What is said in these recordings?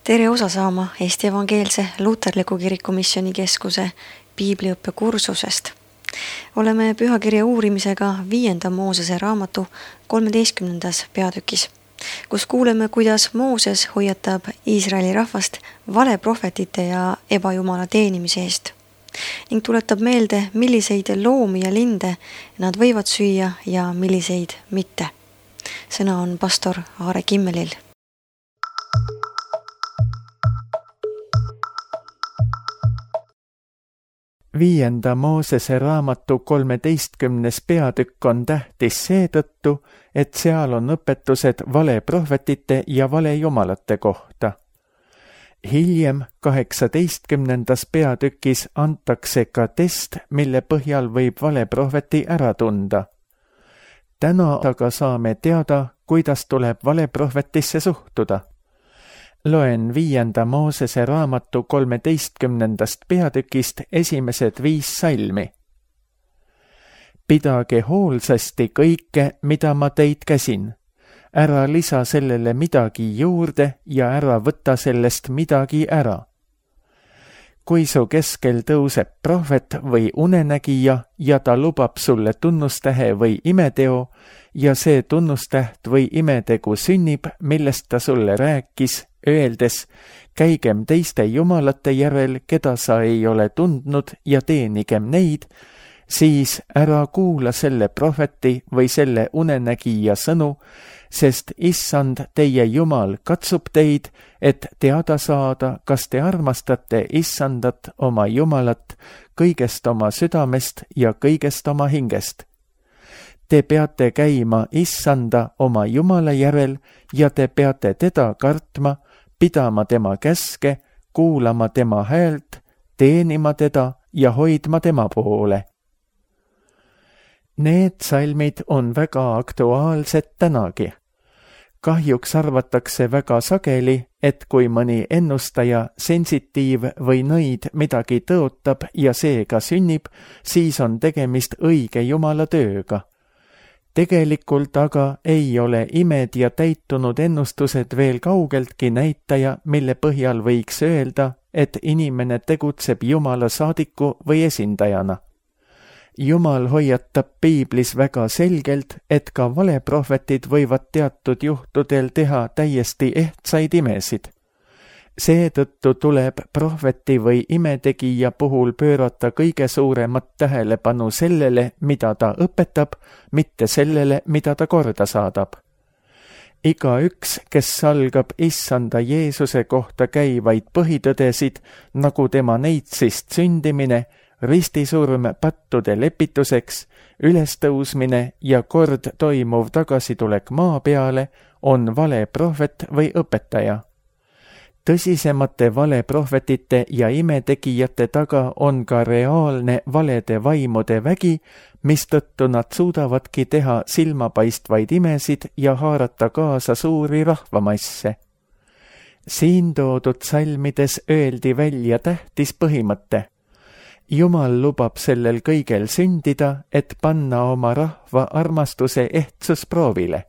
Tere osa saama Eesti Evangeelse Luterliku Kiriku Missioonikeskuse piibliõppe kursusest. Oleme pühakirja uurimisega 5. Moosese raamatu 13. peatükis, kus kuuleme, kuidas Mooses hoiatab Iisraeli rahvast valeprohvetite ja ebajumala teenimise eest ning tuletab meelde, milliseid loomi ja linde nad võivad süüa ja milliseid mitte. Sõna on pastor Aare Kimmelil. Viienda Moosese raamatu 13. peatükk on tähtis seetõttu, et seal on õpetused valeprohvetite ja valejumalate kohta. Hiljem 18. peatükis antakse ka test, mille põhjal võib valeprohveti ära tunda. Täna aga saame teada, kuidas tuleb valeprohvetisse suhtuda. Loen 5. Moosese raamatu 13. peatükist esimesed 5 salmi. Pidage hoolsasti kõike, mida ma teid käsin. Ära lisa sellele midagi juurde ja ära võta sellest midagi ära. Kui su keskel tõuseb prohvet või unenägija ja ta lubab sulle tunnustähe või imeteo ja see tunnustäht või imetegu sünnib, millest ta sulle rääkis, öeldes, käigem teiste jumalate järel, keda sa ei ole tundnud ja teenigem neid, siis ära kuula selle prohveti või selle unenägija sõnu, sest Issand teie Jumal katsub teid, et teada saada, kas te armastate Issandat oma Jumalat kõigest oma südamest ja kõigest oma hingest. Te peate käima Issanda oma Jumala järel ja te peate teda kartma, pidama tema käske, kuulama tema häält, teenima teda ja hoidma tema poole. Need salmid on väga aktuaalsed tänagi. Kahjuks arvatakse väga sageli, et kui mõni ennustaja, sensitiiv või nõid midagi tõotab ja seega sünnib, siis on tegemist õige Jumala tööga. Tegelikult aga ei ole imed ja täitunud ennustused veel kaugeltki näitaja, mille põhjal võiks öelda, et inimene tegutseb Jumala saadiku või esindajana. Jumal hoiatab piiblis väga selgelt, et ka valeprohvetid võivad teatud juhtudel teha täiesti ehtsaid imesid. Seetõttu tuleb prohveti või imetegija puhul pöörata kõige suuremat tähelepanu sellele, mida ta õpetab, mitte sellele, mida ta korda saadab. Igaüks, kes salgab Issanda Jeesuse kohta käivaid põhitõdesid, nagu tema neitsist sündimine, ristisurm pattude lepituseks, ülestõusmine ja kord toimuv tagasitulek maa peale, on valeprohvet või õpetaja. Tõsisemate valeprohvetite ja imetegijate taga on ka reaalne valede vaimude vägi, mistõttu nad suudavadki teha silmapaistvaid imesid ja haarata kaasa suuri rahvamasse. Siin toodud salmides öeldi välja tähtis põhimõte. Jumal lubab sellel kõigel sündida, et panna oma rahva armastuse ehtsus proovile.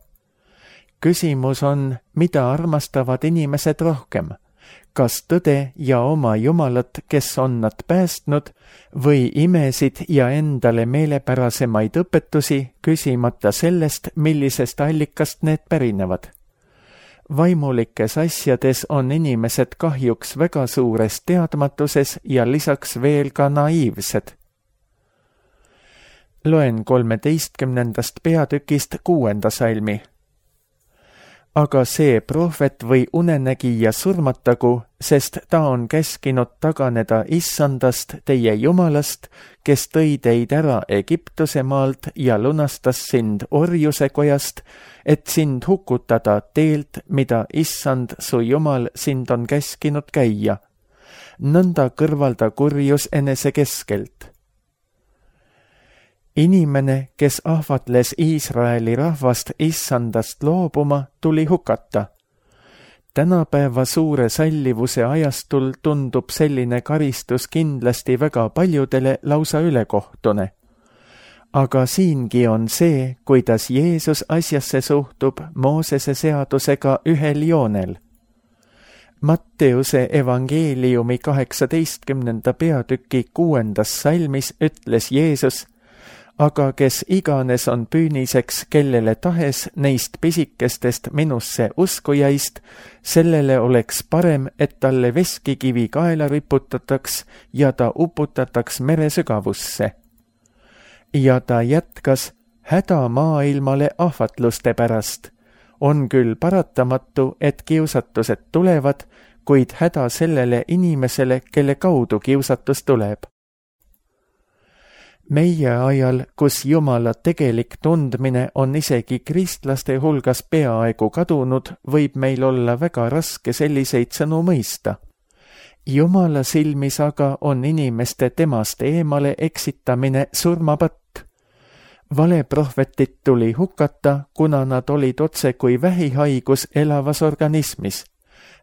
Küsimus on, mida armastavad inimesed rohkem? Kas tõde ja oma Jumalat, kes on nad päästnud, või imesid ja endale meelepärasemaid õpetusi, küsimata sellest, millisest allikast need pärinevad? Vaimulikes asjades on inimesed kahjuks väga suures teadmatuses ja lisaks veel ka naiivsed. Loen 13. peatükist 6. salmi. Aga see prohvet või unenägija surmatagu, sest ta on käskinud taganeda Issandast teie Jumalast, kes tõi teid ära Egiptuse maalt ja lunastas sind orjuse kojast, et sind hukutada teelt, mida Issand su Jumal sind on käskinud käia. Nõnda kõrvalda kurjus enese keskelt. Inimene, kes ahvatles Iisraeli rahvast Issandast loobuma, tuli hukata. Tänapäeva suure sallivuse ajastul tundub selline karistus kindlasti väga paljudele lausa ülekohtune. Aga siingi on see, kuidas Jeesus asjasse suhtub Moosese seadusega ühel joonel. Matteuse evangeeliumi 18. peatüki 6. salmis ütles Jeesus: aga kes iganes on püüniseks kellele tahes neist pisikestest minusse uskujaist, sellele oleks parem, et talle veskikivi kaela riputataks ja ta uputataks mere sügavusse. Ja ta jätkas: häda maailmale ahvatluste pärast. On küll paratamatu, et kiusatused tulevad, kuid häda sellele inimesele, kelle kaudu kiusatus tuleb. Meie ajal, kus Jumala tegelik tundmine on isegi kristlaste hulgas peaaegu kadunud, võib meil olla väga raske selliseid sõnu mõista. Jumala silmis aga on inimeste temast eemale eksitamine surmapatt. Valeprohvetit tuli hukata, kuna nad olid otse kui vähihaigus elavas organismis,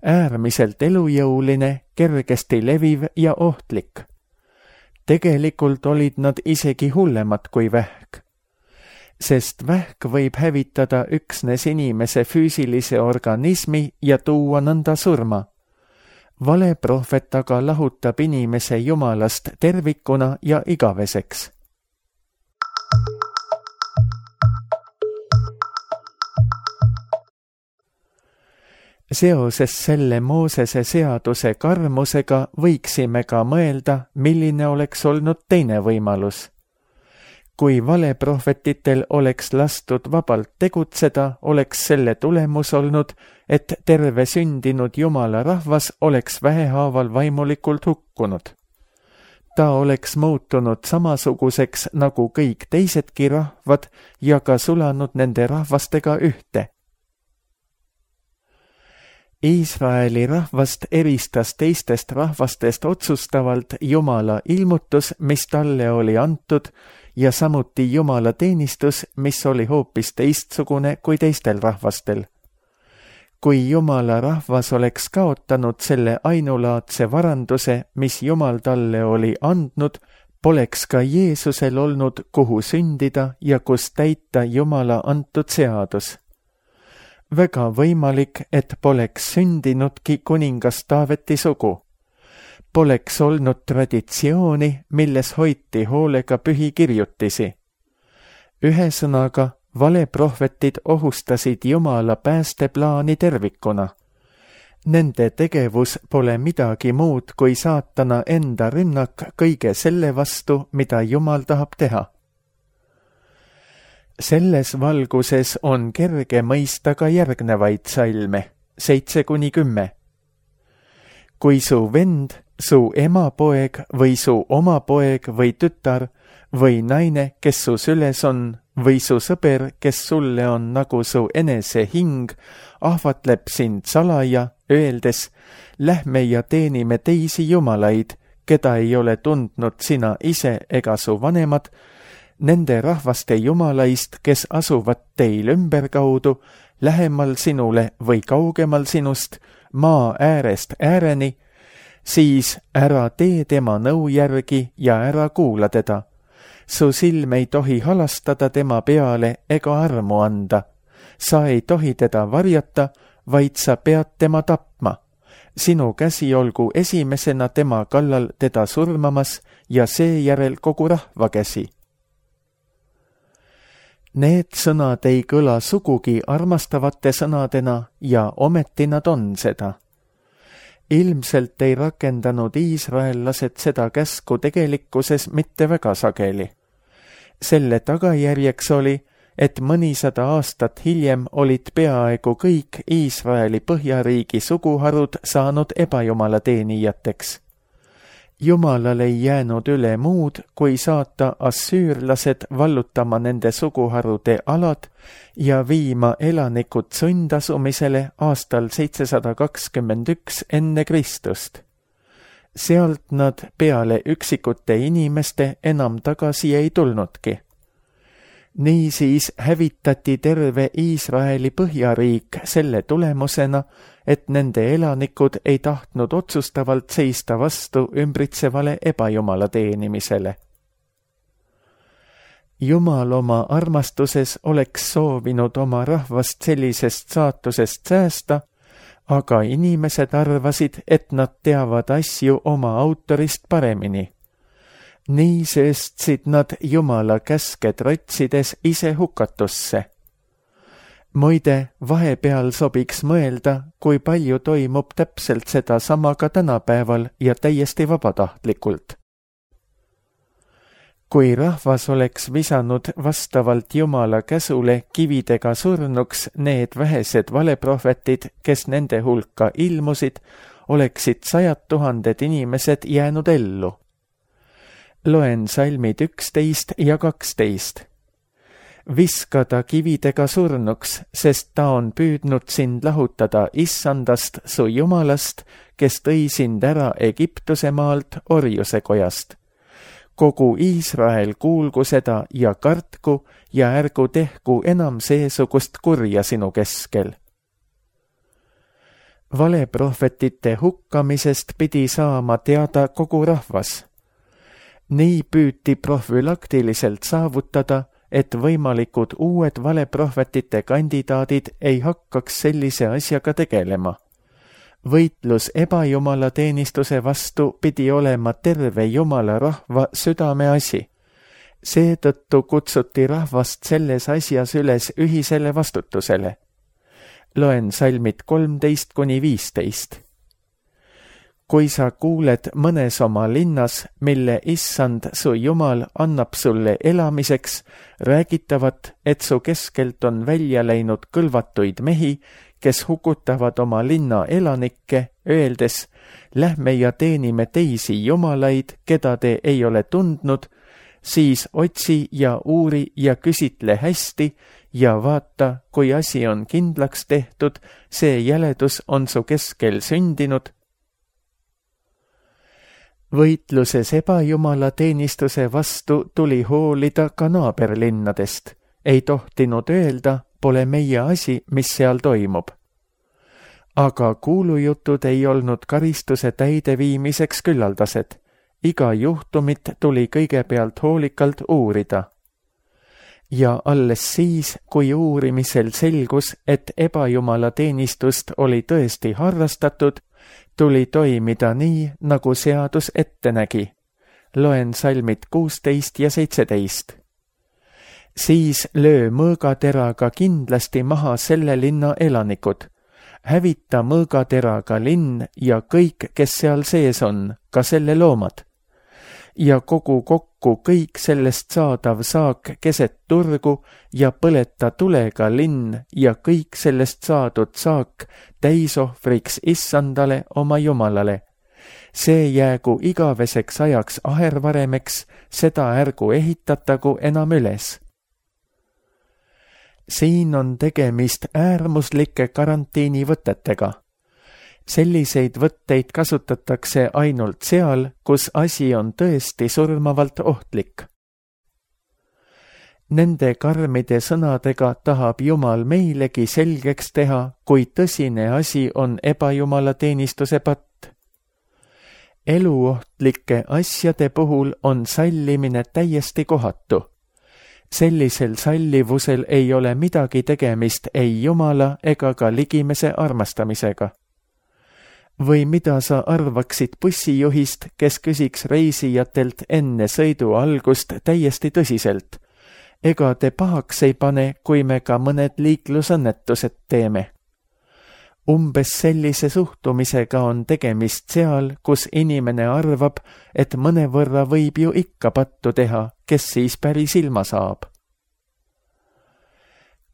äärmiselt elujõuline, kergesti leviv ja ohtlik. Tegelikult olid nad isegi hullemad kui vähk. Sest vähk võib hävitada üksnes inimese füüsilise organismi ja tuua nõnda surma. Valeprohvet aga lahutab inimese Jumalast tervikuna ja igaveseks. Seoses selle Moosese seaduse karmusega võiksime ka mõelda, milline oleks olnud teine võimalus. Kui valeprohvetitel oleks lastud vabalt tegutseda, oleks selle tulemus olnud, et terve sündinud Jumala rahvas oleks vähehaaval vaimulikult hukkunud. Ta oleks muutunud samasuguseks nagu kõik teisedki rahvad ja ka sulanud nende rahvastega ühte. Iisraeli rahvast eristas teistest rahvastest otsustavalt Jumala ilmutus, mis talle oli antud, ja samuti Jumala teenistus, mis oli hoopis teistsugune kui teistel rahvastel. Kui Jumala rahvas oleks kaotanud selle ainulaadse varanduse, mis Jumal talle oli andnud, poleks ka Jeesusel olnud, kuhu sündida ja kus täita Jumala antud seadus. Väga võimalik, et poleks sündinudki kuningas Taaveti sugu. Poleks olnud traditsiooni, milles hoiti hoolega pühikirjutisi. Ühesõnaga, valeprohvetid ohustasid Jumala päästeplaani tervikuna. Nende tegevus pole midagi muud kui saatana enda rünnak kõige selle vastu, mida Jumal tahab teha. Selles valguses on kerge mõista ka järgnevaid salme, 7-10. Kui su vend, su emapoeg või su oma poeg või tütar või naine, kes su süles on, või su sõber, kes sulle on nagu su enese hing, ahvatleb sind salaja, öeldes: lähme ja teenime teisi jumalaid, keda ei ole tundnud sina ise ega su vanemad, nende rahvaste jumalaist, kes asuvad teil ümberkaudu, lähemal sinule või kaugemal sinust, maa äärest ääreni, siis ära tee tema nõu järgi ja ära kuula teda. Su silm ei tohi halastada tema peale ega armu anda. Sa ei tohi teda varjata, vaid sa pead tema tapma. Sinu käsi olgu esimesena tema kallal teda surmamas ja seejärel kogu rahva käsi. Need sõnad ei kõla sugugi armastavate sõnadena ja ometi nad on seda. Ilmselt ei rakendanud iisraellased seda käsku tegelikkuses mitte väga sageli. Selle tagajärjeks oli, et mõnisada aastat hiljem olid peaaegu kõik Iisraeli põhjariigi suguharud saanud ebajumala teenijateks. Jumalal ei jäänud üle muud, kui saata assüürlased vallutama nende suguharude alad ja viima elanikud sundasumisele aastal 721 enne Kristust. Sealt nad peale üksikute inimeste enam tagasi ei tulnudki. Niisiis hävitati terve Iisraeli põhjariik selle tulemusena, et nende elanikud ei tahtnud otsustavalt seista vastu ümbritsevale ebajumala teenimisele. Jumal oma armastuses oleks soovinud oma rahvast sellisest saatusest säästa, aga inimesed arvasid, et nad teavad asju oma autorist paremini. Nii sööstsid nad Jumala käske trotsides ise hukatusse. Muide, vahepeal sobiks mõelda, kui palju toimub täpselt seda sama ka tänapäeval ja täiesti vabatahtlikult. Kui rahvas oleks visanud vastavalt Jumala käsule kividega surnuks need vähesed valeprohvetid, kes nende hulka ilmusid, oleksid 100 000 inimesed jäänud ellu. Loen salmid 11 ja 12. Viska ta kividega surnuks, sest ta on püüdnud sind lahutada Issandast, su Jumalast, kes tõi sind ära Egiptuse maalt orjuse kojast. Kogu Iisrael kuulgu seda ja kartku ja ärgu tehku enam seesugust kurja sinu keskel. Valeprohvetite hukkamisest pidi saama teada kogu rahvas. Nii püüti profülaktiliselt saavutada, et võimalikud uued valeprohvetite kandidaadid ei hakkaks sellise asjaga tegelema. Võitlus ebajumala teenistuse vastu pidi olema terve Jumala rahva südameasi. Seetõttu kutsuti rahvast selles asjas üles ühisele vastutusele. Loen salmid 13-15. Kui sa kuuled mõnes oma linnas, mille Issand su Jumal annab sulle elamiseks, räägitavat, et su keskelt on välja läinud kõlvatuid mehi, kes hukutavad oma linna elanikke, öeldes, lähme ja teenime teisi jumalaid, keda te ei ole tundnud, siis otsi ja uuri ja küsitle hästi ja vaata, kui asi on kindlaks tehtud, see jäledus on su keskel sündinud. Võitluses ebajumala teenistuse vastu tuli hoolida ka naaberlinnadest. Ei tohtinud öelda, pole meie asi, mis seal toimub. Aga kuulujutud ei olnud karistuse täideviimiseks küllaldased. Iga juhtumit tuli kõigepealt hoolikalt uurida. Ja alles siis, kui uurimisel selgus, et ebajumala teenistust oli tõesti harrastatud, tuli toimida nii, nagu seadus ette nägi. Loen salmid 16 ja 17. Siis löö mõõgateraga kindlasti maha selle linna elanikud. Hävita mõõgateraga linn ja kõik, kes seal sees on, ka selle loomad. Ja kogu kokku kõik sellest saadav saak keset turgu ja põleta tulega linn ja kõik sellest saadud saak täisohvriks Issandale oma Jumalale. See jäägu igaveseks ajaks ahervaremeks, seda ärgu ehitatagu enam üles. Siin on tegemist äärmuslike karantiinivõtetega. Selliseid võtteid kasutatakse ainult seal, kus asi on tõesti surmavalt ohtlik. Nende karmide sõnadega tahab Jumal meilegi selgeks teha, kui tõsine asi on ebajumala teenistuse patt. Eluohtlike asjade puhul on sallimine täiesti kohatu. Sellisel sallivusel ei ole midagi tegemist ei Jumala ega ka ligimese armastamisega. Või mida sa arvaksid bussijuhist, kes küsiks reisijatelt enne sõidu algust täiesti tõsiselt? Ega te pahaks ei pane, kui me ka mõned liiklusõnnetused teeme? Umbes sellise suhtumisega on tegemist seal, kus inimene arvab, et mõnevõrra võib ju ikka pattu teha, kes siis päris ilma saab.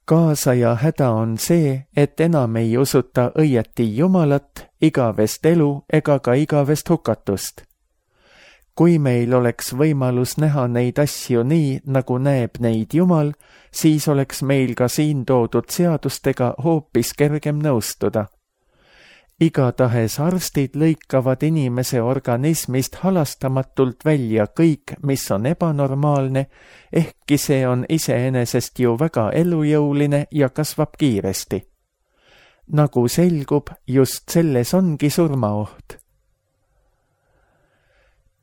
Kaasaja häda on see, et enam ei usuta õieti Jumalat, igavest elu ega ka igavest hukatust. Kui meil oleks võimalus näha neid asju nii, nagu näeb neid Jumal, siis oleks meil ka siin toodud seadustega hoopis kergem nõustuda. Igatahes arstid lõikavad inimese organismist halastamatult välja kõik, mis on ebanormaalne, ehkki see on iseenesest ju väga elujõuline ja kasvab kiiresti. Nagu selgub, just selles ongi surmaoht.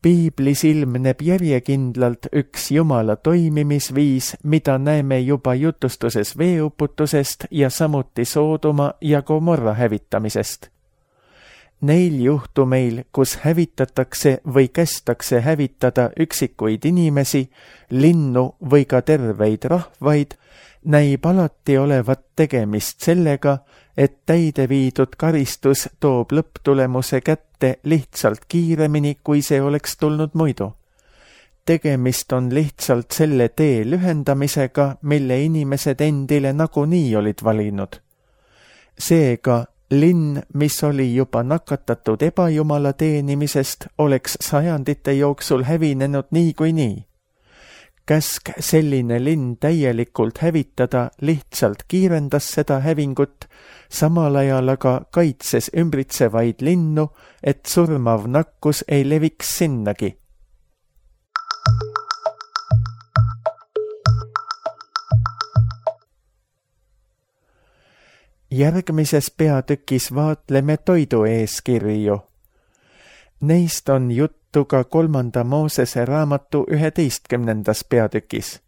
Piiblis ilmneb järjekindlalt üks Jumala toimimisviis, mida näeme juba jutustuses veeuputusest ja samuti Soodoma ja Gomorra hävitamisest. Neil juhtumeil, kus hävitatakse või kästakse hävitada üksikuid inimesi, linnu või ka terveid rahvaid, näib alati olevat tegemist sellega, et täide viidud karistus toob lõpptulemuse kätte lihtsalt kiiremini, kui see oleks tulnud muidu. Tegemist on lihtsalt selle tee lühendamisega, mille inimesed endile nagunii olid valinud. Seega, linn, mis oli juba nakatatud ebajumala teenimisest, oleks sajandite jooksul hävinenud niikuinii. Käsk selline linn täielikult hävitada lihtsalt kiirendas seda hävingut, samal ajal aga kaitses ümbritsevaid linnu, et surmav nakkus ei leviks sinnagi. Järgmises peatükis vaatleme toidueeskirju. Neist on juttu ka 3. Moosese raamatu 11. peatükis.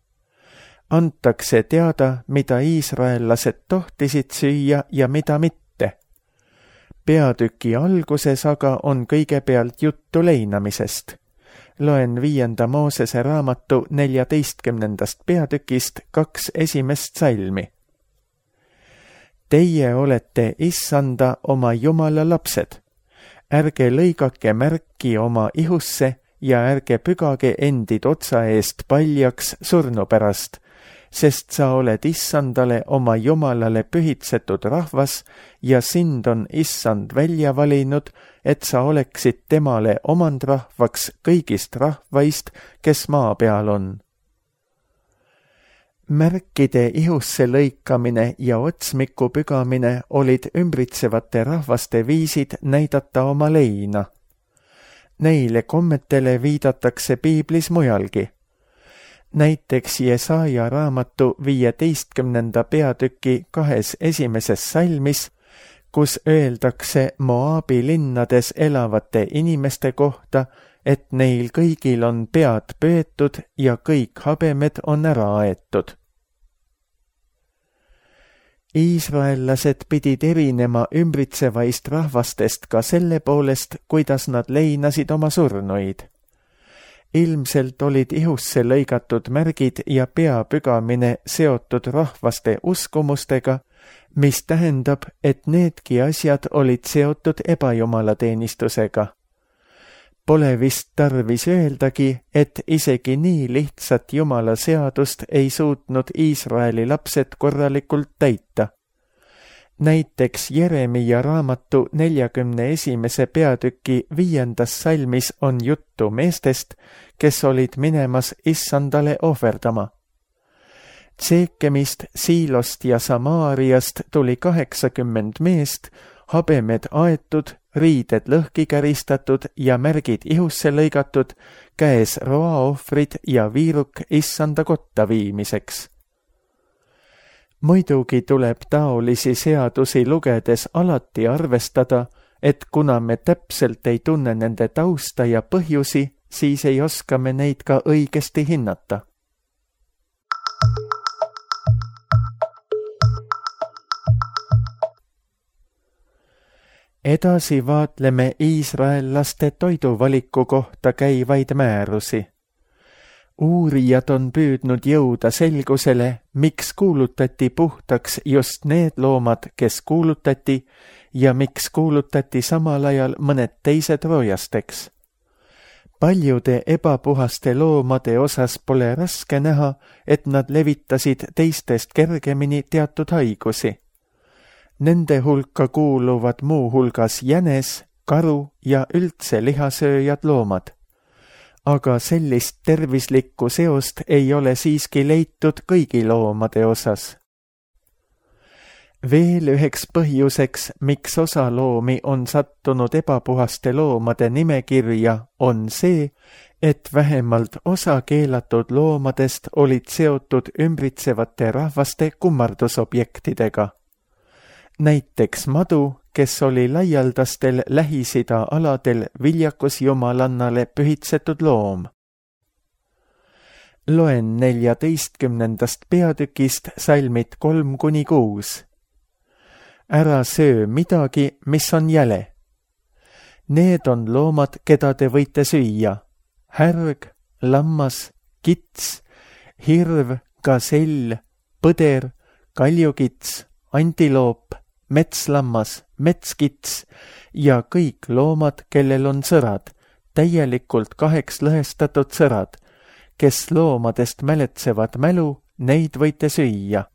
Antakse teada, mida iisraellased tohtisid süüa ja mida mitte. Peatüki alguses aga on kõigepealt juttu leinamisest. Loen 5. Moosese raamatu 14. peatükist 2 esimest salmi. Teie olete Issanda oma Jumala lapsed. Ärge lõigake märki oma ihusse ja ärge pügage endid otsa eest paljaks surnu pärast, sest sa oled Issandale oma Jumalale pühitsetud rahvas ja sind on Issand välja valinud, et sa oleksid temale omandrahvaks kõigist rahvaist, kes maa peal on. Märkide ihusse lõikamine ja otsmiku pügamine olid ümbritsevate rahvaste viisid näidata oma leina. Neile kommetele viidatakse piiblis mujalgi. Näiteks Jesaja raamatu 15. peatüki 2 esimeses salmis, kus öeldakse Moabi linnades elavate inimeste kohta, et neil kõigil on pead pöötud ja kõik habemed on ära aetud. Iisraellased pidid erinema ümbritsevaist rahvastest ka selle poolest, kuidas nad leinasid oma surnuid. Ilmselt olid ihusse lõigatud märgid ja peapügamine seotud rahvaste uskumustega, mis tähendab, et needki asjad olid seotud ebajumalateenistusega. Pole vist tarvis öeldagi, et isegi nii lihtsat Jumala seadust ei suutnud Iisraeli lapsed korralikult täita. Näiteks Jeremia raamatu 41. peatüki 5. salmis on juttu meestest, kes olid minemas Issandale ohverdama. Tseekemist, Siilost ja Samaariast tuli 80 meest, habemed aetud, riided lõhki käristatud ja märgid ihusse lõigatud, käes roaohvrid ja viiruk Issanda kotta viimiseks. Muidugi tuleb taolisi seadusi lugedes alati arvestada, et kuna me täpselt ei tunne nende tausta ja põhjusi, siis ei oska me neid ka õigesti hinnata. Edasi vaatleme iisraellaste toiduvaliku kohta käivaid määrusi. Uurijad on püüdnud jõuda selgusele, miks kuulutati puhtaks just need loomad, kes kuulutati, ja miks kuulutati samal ajal mõned teised roojasteks. Paljude ebapuhaste loomade osas pole raske näha, et nad levitasid teistest kergemini teatud haigusi. Nende hulka kuuluvad muu hulgas jänes, karu ja üldse lihasööjad loomad. Aga sellist tervislikku seost ei ole siiski leitud kõigi loomade osas. Veel üheks põhjuseks, miks osa loomi on sattunud ebapuhaste loomade nimekirja, on see, et vähemalt osa keelatud loomadest olid seotud ümbritsevate rahvaste kummardusobjektidega. näiteks madu, kes oli laialdastel Lähis-Ida aladel viljakusjumalannale pühitsetud loom. Loen 14. peatükist salmid 3-6. Ära söö midagi, mis on jäle. Need on loomad, keda te võite süüa. Härg, lammas, kits, hirv, gasell, põder, kaljukits, antiloop, metslammas, metskits ja kõik loomad, kellel on sõrad, täielikult 8 lõhestatud sõrad, kes loomadest mäletsevad mälu, neid võite süüa.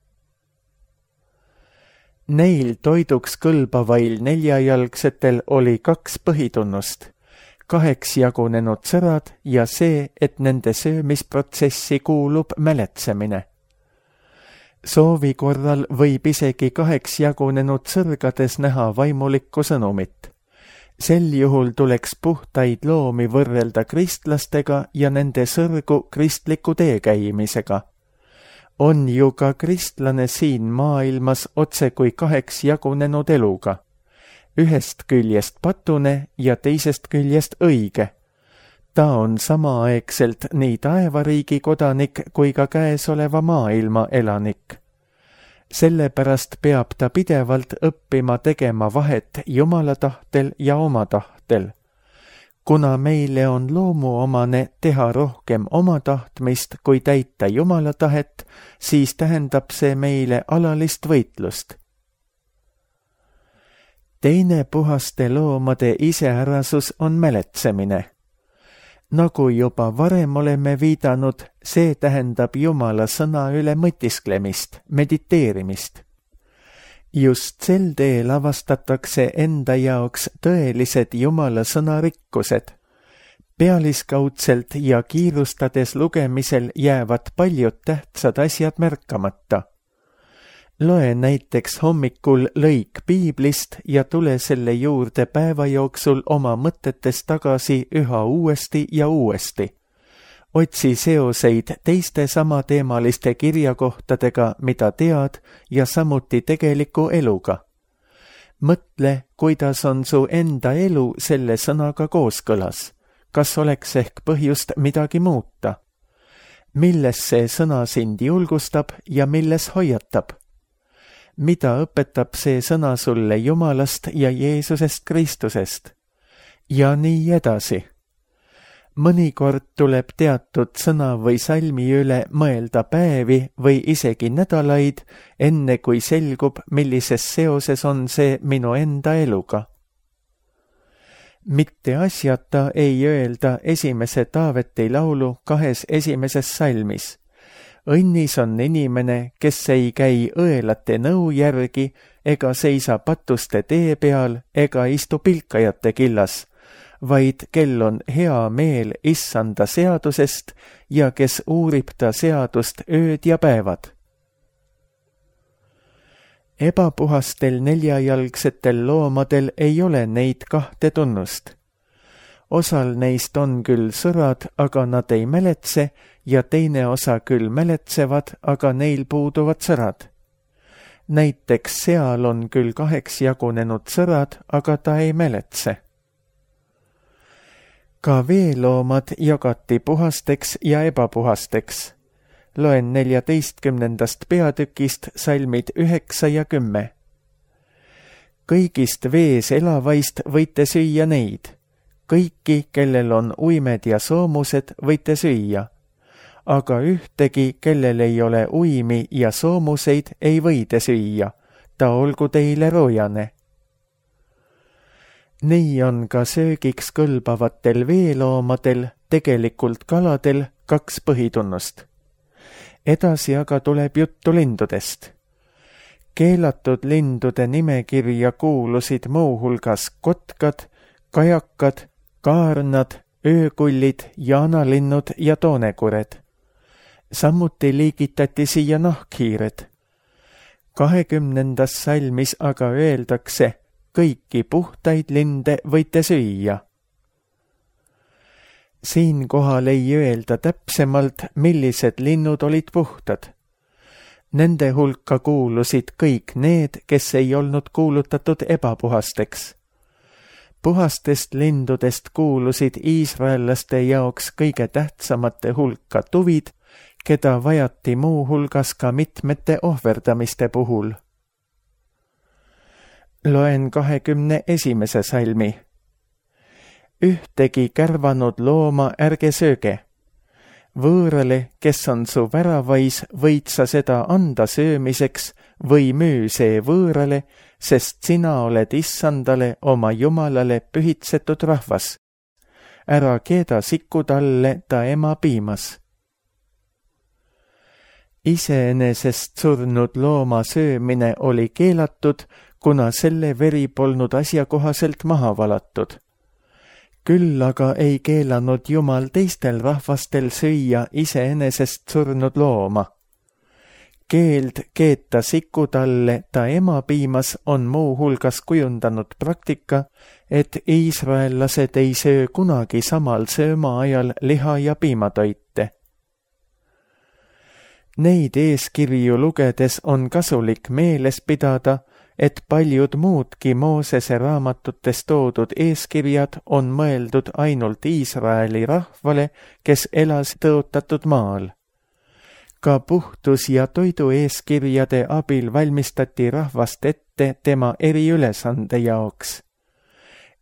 Neil toiduks kõlbavail 4-jalgsetel oli 2 põhitunnust, 2 jagunenud sõrad ja see, et nende söömisprotsessi kuulub mäletsemine. Soovi korral võib isegi 2 jagunenud sõrgades näha vaimulikku sõnumit. Sel juhul tuleks puhtaid loomi võrrelda kristlastega ja nende sõrgu kristliku teekäimisega. On ju ka kristlane siin maailmas otse kui 2 jagunenud eluga. Ühest küljest patune ja teisest küljest õige. Ta on samaaegselt nii taevariigi kodanik kui ka käesoleva maailma elanik. Sellepärast peab ta pidevalt õppima tegema vahet Jumala tahtel ja oma tahtel. Kuna meile on loomuomane teha rohkem oma tahtmist kui täita Jumala tahet, siis tähendab see meile alalist võitlust. Teine puhaste loomade iseärasus on mäletsemine. Nagu juba varem oleme viidanud, see tähendab Jumala sõna üle mõtisklemist, mediteerimist. Just sel teel avastatakse enda jaoks tõelised Jumala sõna rikkused. Pealiskaudselt ja kiirustades lugemisel jäävad paljud tähtsad asjad märkamata. Loe näiteks hommikul lõik piiblist ja tule selle juurde päeva jooksul oma mõtetes tagasi üha uuesti ja uuesti. Otsi seoseid teiste samateemaliste kirjakohtadega, mida tead, ja samuti tegeliku eluga. Mõtle, kuidas on su enda elu selle sõnaga kooskõlas. Kas oleks ehk põhjust midagi muuta? Milles see sõna sind julgustab ja milles hoiatab? Mida õpetab see sõna sulle Jumalast ja Jeesusest Kristusest? Ja nii edasi. Mõnikord tuleb teatud sõna või salmi üle mõelda päevi või isegi nädalaid, enne kui selgub, millises seoses on see minu enda eluga. Mitte asjata ei öelda esimese Taaveti laulu 2 esimeses salmis. Õnnis on inimene, kes ei käi õelate nõu järgi ega seisa patuste tee peal ega istu pilkajate killas, vaid kel on hea meel issanda seadusest ja kes uurib ta seadust ööd ja päevad. Ebapuhastel 4-jalgsetel loomadel ei ole neid 2 tunnust. Osal neist on küll sõrad, aga nad ei mäletse ja teine osa küll mäletsevad, aga neil puuduvad sõrad. Näiteks seal on küll 2 jagunenud sõrad, aga ta ei mäletse. Ka veeloomad jagati puhasteks ja ebapuhasteks. Loen 14. peatükist salmid 9 ja 10. Kõigist vees elavaist võite süüa neid. Kõiki, kellel on uimed ja soomused, võite süüa. Aga ühtegi, kellel ei ole uimi ja soomuseid, ei võide süüa. Ta olgu teile roojane. Nii on ka söögiks kõlbavatel veeloomadel, tegelikult kaladel, 2 põhitunnust. Edasi aga tuleb juttu lindudest. Keelatud lindude nimekirja kuulusid muuhulgas kotkad, kajakad, kaarnad, öökullid, jaanalinnud ja toonekured. Samuti liigitati siia nahkhiired. 20. salmis aga öeldakse, kõiki puhtaid linde võite süüa. Siinkohal ei öelda täpsemalt, millised linnud olid puhtad. Nende hulka kuulusid kõik need, kes ei olnud kuulutatud ebapuhasteks. Puhastest lindudest kuulusid iisraellaste jaoks kõige tähtsamate hulka tuvid, keda vajati muu hulgas ka mitmete ohverdamiste puhul. Loen 21. salmi. Ühtegi kärvanud looma ärge sööge. Võõrale, kes on su väravais, võid sa seda anda söömiseks või müü see võõrale, sest sina oled Issandale oma Jumalale pühitsetud rahvas. Ära keeda sikku talle ta ema piimas. Iseenesest surnud looma söömine oli keelatud, kuna selle veri polnud asjakohaselt maha valatud. Küll aga ei keelanud Jumal teistel rahvastel süüa iseenesest surnud looma. Keeld keeta sikku talle ta ema piimas on muu hulgas kujundanud praktika, et iisraellased ei söö kunagi samal sööma ajal liha- ja piimatoite. Neid eeskirju lugedes on kasulik meeles pidada, et paljud muudki Moosese raamatutes toodud eeskirjad on mõeldud ainult Iisraeli rahvale, kes elas tõotatud maal. Ka puhtus- ja toidu eeskirjade abil valmistati rahvast ette tema eriülesande jaoks.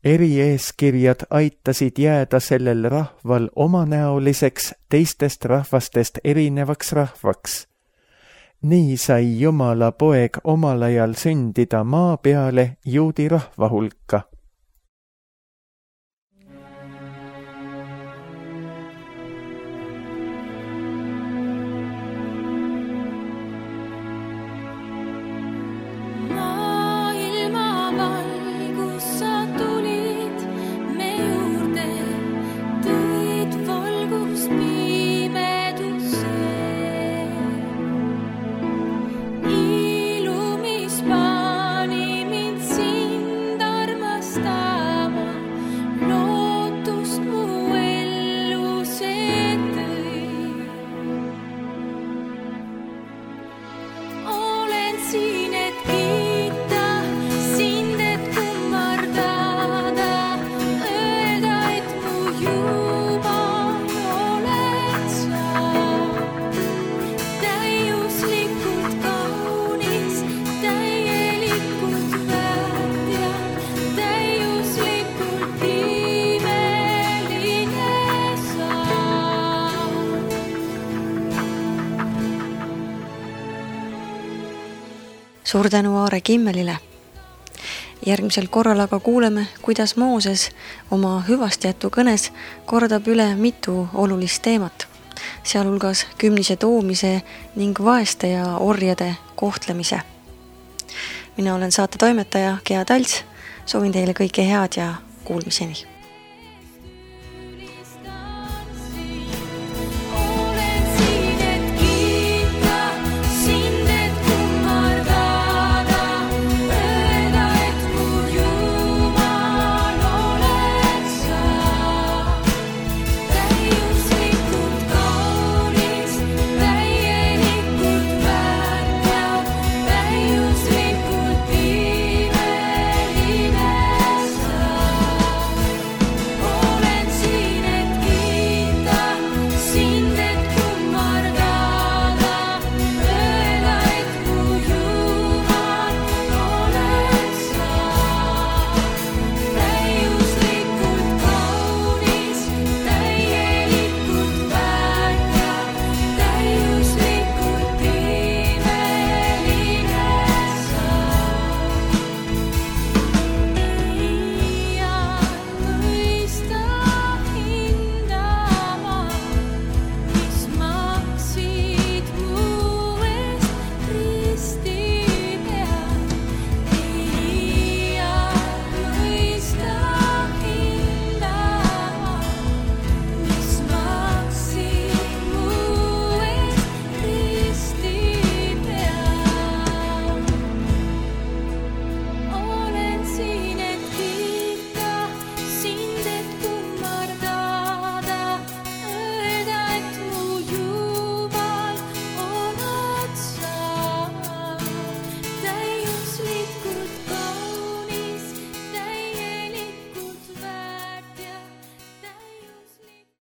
Erieeskirjad aitasid jääda sellel rahval omanäoliseks teistest rahvastest erinevaks rahvaks. Nii sai Jumala poeg omal ajal sündida maa peale juudi rahva hulka. Suur tänu Aare Kimmelile. Järgmisel korral aga kuuleme, kuidas Mooses oma hüvastijätu kõnes kordab üle mitu olulist teemat, sealhulgas kümnise toomise ning vaeste ja orjade kohtlemise. Mina olen saate toimetaja Gea Talts, soovin teile kõike head ja kuulmiseni.